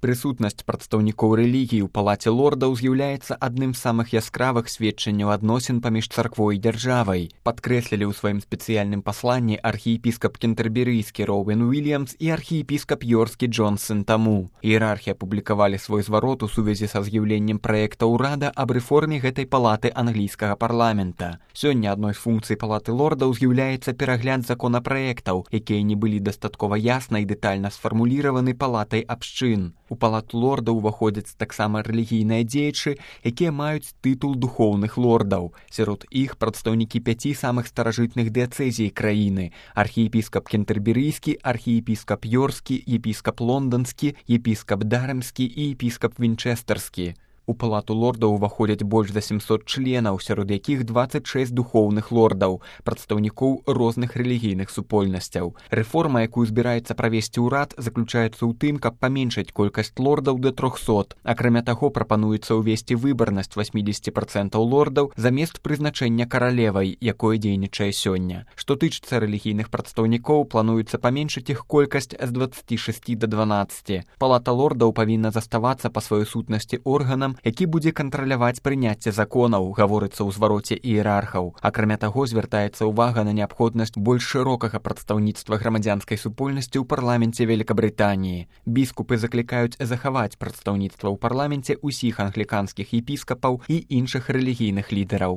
Прысутнасць прадстаўнікоў рэлігіі ў палаце лордаў з'яўляецца адным з самых яскравых сведчанняў адносін паміж царквой і дзяржавай. Падкрэслілі ў сваім спецыяльным пасланні архіепіскап кентэрберыйскі Роуэн Уильямс і архіепіскап Йоркскі Джон Сент-Аму. Іерархі апублікавалі свой зварот у сувязі са з'яўленнем праекта ўрада аб рэформе гэтай палаты англійскага парламента. Сёння адной з функцый палаты лордаў з'яўляецца перагляд законапраектаў, якія не былі дастаткова ясна і дэтальна сфармуліраваны палатай абшчын. У палату лордаў уваходзяць таксама рэлігійныя дзеячы, якія маюць тытул духоўных лордаў. Сярод іх прадстаўнікі 5 самых старажытных дыяцэзій краіны: архіепіскап кентэрберыйскі, архіепіскап Йоркскі, епіскап лонданскі, епіскап дарэмскі і епіскап вінчэстэрскі. У палату лордаў уваходзяць больш за 700 членаў, сярод якіх 26 духоўных лордаў, прадстаўнікоў розных рэлігійных супольнасцяў. Рэформа, якую збіраецца правесці ўрад, заключаецца ў тым, каб паменшыць колькасць лордаў да 300. Акрамя таго, прапануецца ўвесці выбарнасць 80% лордаў замест прызначэння каралевай, якое дзейнічае сёння. Што тычыцца рэлігійных прадстаўнікоў, плануецца паменшыць іх колькасць з 26 да 12. Палата лордаў павінна заставацца па сваёй сутнасці органам, які будзе кантраляваць прыняцце законаў, гаворыцца ў звароце іерархаў. Акрамя таго, звяртаецца ўвага на неабходнасць больш шырокага прадстаўніцтва грамадзянскай супольнасці ў парламенце Великабрытаніі. Біскупы заклікаюць захаваць прадстаўніцтва ў парламенце ўсіх англіканскіх епіскапаў і іншых рэлігійных лідараў.